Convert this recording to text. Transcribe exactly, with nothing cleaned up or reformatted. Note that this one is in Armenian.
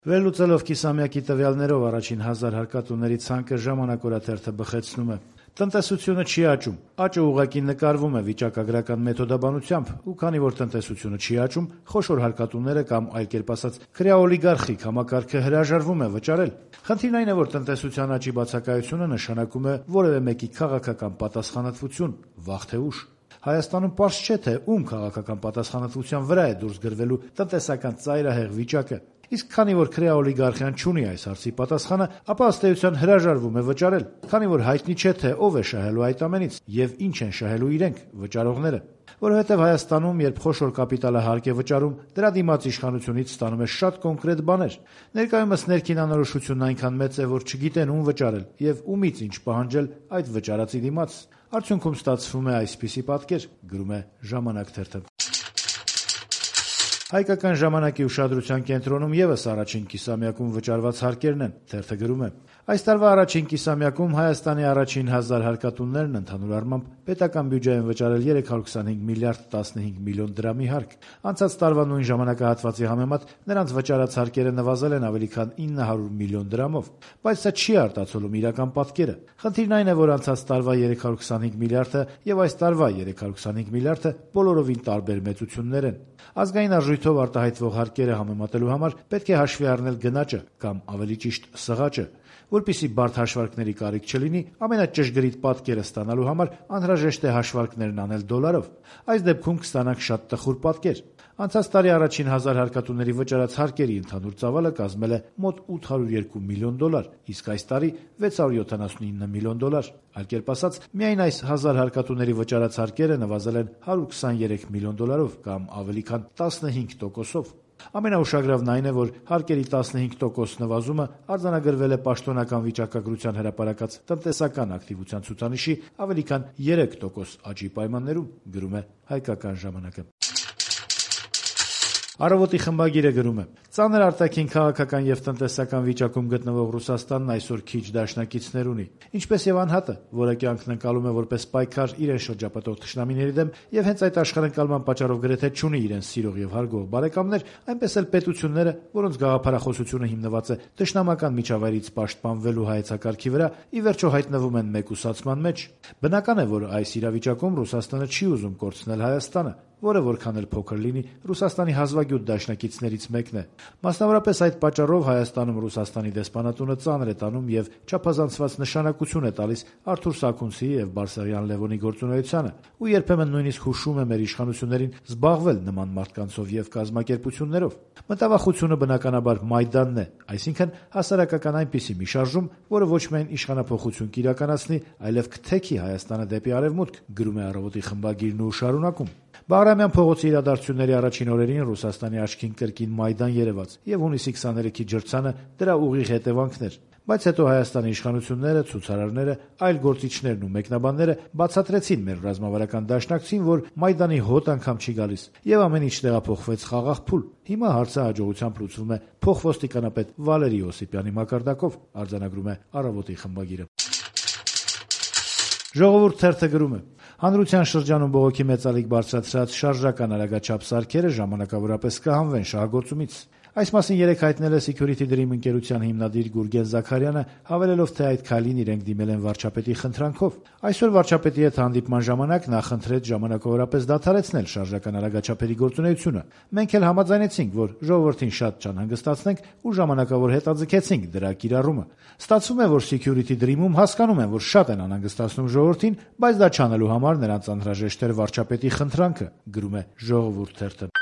Վերլուծելով կիսամյակի տվյալներով առաջին հազար հարկատուների ցանկը «Ժամանակ» օրաթերթը բխեցնում է. տնտեսությունը չի աճում, աճը ուղղակի նկարվում է վիճակագրական մեթոդաբանությամբ, ու քանի որ տնտեսությունը չի աճում, խոշոր հարկատուները կամ այլ կերպ ասած քրեաօլիգարխիկ համակարգը հրաժարվում է վճարել։ Խնդիրն այն է, որ տնտեսության աճի բացակայությունը նշանակում է որևէ մեկի քաղաքական պատասխանատվություն, վաղ թե ուշ։ Հայաստանում պարզ չէ, թե ում քաղաքական պատասխանատվության վրա է դուրս գրվելու տնտեսական ծայրահեղ վիճակը։ Իսկ քանի որ քրեաօլիգարխիան չունի այս հարցի պատասխանը, ապա ըստ էության հրաժարվում է վճարել, քանի որ հայտնի չէ, թե ով է շահելու այդ ամենից եւ ինչ են շահելու իրենք վճարողները։ Որովհետեւ Հայաստանում, երբ խոշոր կապիտալը հարկ է վճարում, դրա դիմաց իշխանությունից ստանում է շատ կոնկրետ բաներ։ Ներկայումս ներքին անորոշությունն այնքան մեծ է, որ չգիտեն ում վճարել եւ ումից ինչ պահանջել այդ վճարածի դիմաց։ Արդյունքում ստացվում է այսպիսի պատկեր, գրում է «Ժամանակ» թերթը։ Հայկական ժամանակի ուշադրության կենտրոնում ևս առաջին կիսամյակում վճարված հարկերն են, թերթը գրում է. Այս տարվա առաջին կիսամյակում Հայաստանի առաջին հազար հարկատուներն ընդհանուր առմամբ պետական բյուջե են վճարել երեք հարյուր քսանհինգ միլիարդ տասնհինգ միլիոն դրամի հարկ։ Անցած տարվա նույն ժամանակահատվածի համեմատ նրանց վճարած հարկերը նվազել են ավելի քան ինը հարյուր միլիոն դրամով, բայց սա չի արտացոլում իրական պատկերը։ Խնդիրն այն է, որ անցած տարվա երեք հարյուր քսանհինգ միլիարդը եւ այս տարվա երեք հարյուր քսանհինգ միլիարդը բոլորովին տարբեր մեծություններ են։ Ազգային արժույթով արտահայտվող հարկերը համեմատելու համար պետք է հաշվի առնել գնաճը կամ ավելի ճիշտ սղաճը։ Որպեսզի բարդ հաշվարկների կարիք չլինի, ամենաճշգրիտ պատկերը ստանալու համար անհրաժեշտ է հաշվարկներն անել դոլարով։ Այս դեպքում կստանանք շատ տխուր պատկեր։ Անցած տարի առաջին հազար հարկատուների վճարած հարկերի ընդհանուր ծավալը կազմել է մոտ ութ հարյուր երկու միլիոն դոլար, իսկ այս տարի վեց հարյուր յոթանասունինը միլիոն դոլար։ Այլ կերպ ասած, միայն այս հազար հարկատուների վճարած հարկերը նվազել են հարյուր քսաներեք միլիոն դոլարով կամ ավելի քան տասնհինգ տոկոսով։ Ամենաուշագրավն այն է, որ հարկերի տասնհինգ տոկոս նվազումը արձանագրվել է պաշտոնական վիճակագրության հրապարակած տնտեսական ակտիվության ցուցանիշի ավելի քան երեք տոկոս աճի պայմաններում, գրում է «Հայկական ժամանակը»։ Առավոտի խմբագիրը գրում է. ծանր արտաքին քաղաքական եւ տնտեսական վիճակում գտնվող Ռուսաստանն այսօր քիչ դաշնակիցներ ունի։ Ինչպես եւ անհատը, որը կյանքն ընկալում է որպես պայքար իրեն շրջապատող թշնամիների դեմ եւ հենց այդ աշխարհընկալման պատճառով գրեթե չունի իրեն սիրող եւ հարգող բարեկամներ, այնպես էլ պետությունները, որոնց գաղափարախոսությունը հիմնված է թշնամական միջավայրից պաշտպանվելու հայեցակարգի վրա, ի վերջո հայտնվում են մեկուսացման մեջ։ Բնական է, որ այս իրավիճակում Ռուսաստանը չի ուզում կորցնել Հայաստանը, որը որքան էլ փոքր լինի, Ռուսաստանի հազվագյուտ դաշնակիցներից մեկն է։ Մասնավորապես այդ պատճառով Հայաստանում Ռուսաստանի դեսպանատունը ծանր է տանում եւ չափազանցված նշանակություն է տալիս Արթուր Սաքունցիի եւ Բարսեղյան Լևոնի գործունեությանը, ու երբեմն նույնիսկ հուշում է մեր իշխանություններին զբաղվել նման մարդկանցով եւ կազմակերպություններով։ Մտավախությունը բնականաբար Մայդանն է, այսինքն հասարակական այնպիսի մի շարժում, որը ոչ միայն իշխանափոխություն կիրականացնի, այլև կթեքի Հայաստանը դեպի արևմուտք, գրում է Առավոտի խմբագիրն ու շարունակում։ Բաղրամյան փողոցի իրադարձությունների առաջին օրերին Ռուսաստանի աչքին կրկին Մայդան երևաց եւ հունիսի քսաներեքի ջրցանը դրա ուղիղ հետևանքներ։ Բայց հետո Հայաստանի իշխանությունները, ցուցարարները, այլ գործիչներն ու մեկնաբանները բացատրեցին մեր ռազմավարական դաշնակցին, որ Մայդանի հոտ անգամ չի գալիս եւ ամեն ինչ տեղափոխվեց խաղաղ փուլ։ Հիմա հարցը հաջողությամբ լուծվում է փոխոստիկանապետ Վալերի Օսիպյանի մակարդակով, արձանագրում է Առավոտի խմբագիրը։ Ժողովուրդ թերթը գրում է. հանրության շրջանում բողոքի մեծալիկ բարձրացրած շարժական արագաչափ սարքերը ժամանակավորապես կհանվեն շահագործումից։ Այս մասին երեկ հայտնել է Security Dream ընկերության հիմնադիր Գուրգեն Զաքարյանը, հավելելով, թե այդ քայլին իրենք դիմել են վարչապետի խնդրանքով։ Այսօր վարչապետի հետ հանդիպման ժամանակ նա խնդրեց ժամանակավորապես դադարեցնել շարժական արագաչափերի գործունեությունը։ Մենք էլ համաձայնեցինք, որ ժողովրդին շատ չանհանգստացնենք ու ժամանակավոր հետաձգեցինք դրա կիրառումը։ Ստացվում է, որ Security Dream-ում հասկանում են, որ շատ են անհանգստացնում ժողովրդին, բայց դա չանելու համար նրանց անհրաժեշտ էր վարչապետի խնդրանքը, գրում է Ժողովուրդ թերթը։